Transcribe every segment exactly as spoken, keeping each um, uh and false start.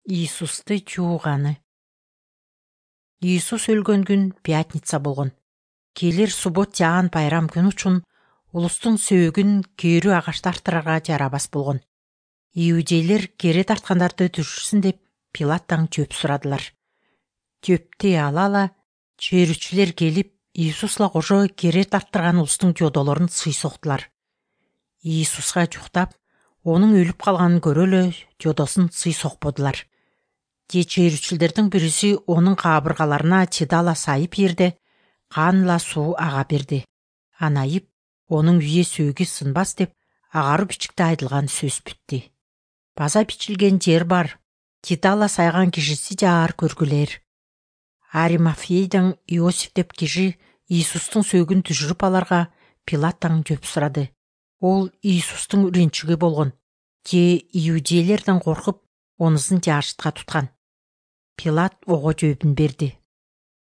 Иисусту жууганы. Иисус өлгөн күн пятница болгон. Келер суббот жаан байрам күн үчүн улустун сөөгүн кээрүү агаш тартырарга жарабас болгон. Иудейлер кере тарткандарды түшүрсүн деп Пилаттан жөп сурадылар. Жөптү алала чөйрүчүлөр келип Иисусла кошо кере тарттырган улустун жодолорун сыйсоктулар. Иисуска жуктап, онун өлүп калганын көрө эле жодосун сыйсокподулар. Же чөйрүчүлөрдүн бириси онун кабыргаларына чыдала сайып жерде канла суу ага берди. Анайып, онун үйе сөөгү сынбас деп агару бичикте айтылган сөз бүттү. База бичилген жер бар, чыдала сайган кишиси жаар көргүлөр. Аримафейден Иосиф деп киши Иисустун сөөгүн түшүрүп аларга Пилаттан жөп сурады. Ол Иисустун үрүнчүгү болгон. Же иудейлерден коркуп, онусун жаашытка туткан. Пилат ого жообун берди.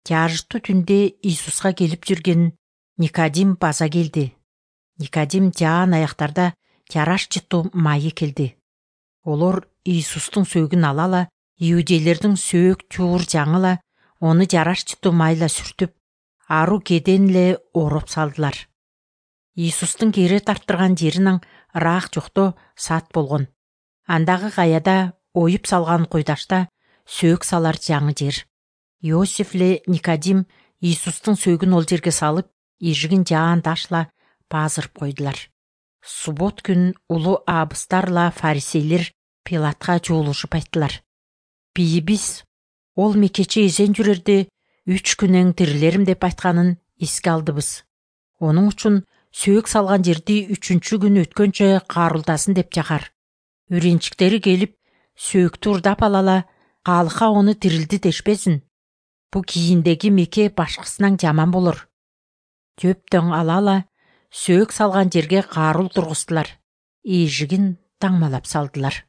Жаашыттуу түндө Иисуска келип жүрген Никодим база келди. Никодим жаан аяктарда жараш жыттуу майы келди. Олор Иисустун сөөгүн алала, иудейлердин сөөк чуур жаңыла, оны жараш жыттуу майла сүртүп, ару кеден эле ороп салдылар. Иисустун кере тарттырган жеринин ыраак жокто саат болгон. Андагы каяда оюп салган куйдашта сөөк салар жаңы жер. Иосиф эле Никодим Иисустун сөөгүн ол жерге салып, ижигин жаан ташла баазырып койдулар. Суббот күн улуу абыстарла фарисейлер Пилатка жуулушуп айттылар. Бийибиз ол мекече эзен жүрөрдө үч күнөн тирилерим деп айтканын эске алдыбыз. Онун үчүн сөөк салган жерди үчүнчү күн өткөнчө каарулдасын деп жакар. Үрүнчүктери келип, сөөктү урдап алала, калыкка оны тирилди дешпесин. Бу кийиндеги меке башкысынан жаман болор. Жөптөн алала, сөөк салган жерге каарул тургуздулар. Эжигин таңмалап салдылар.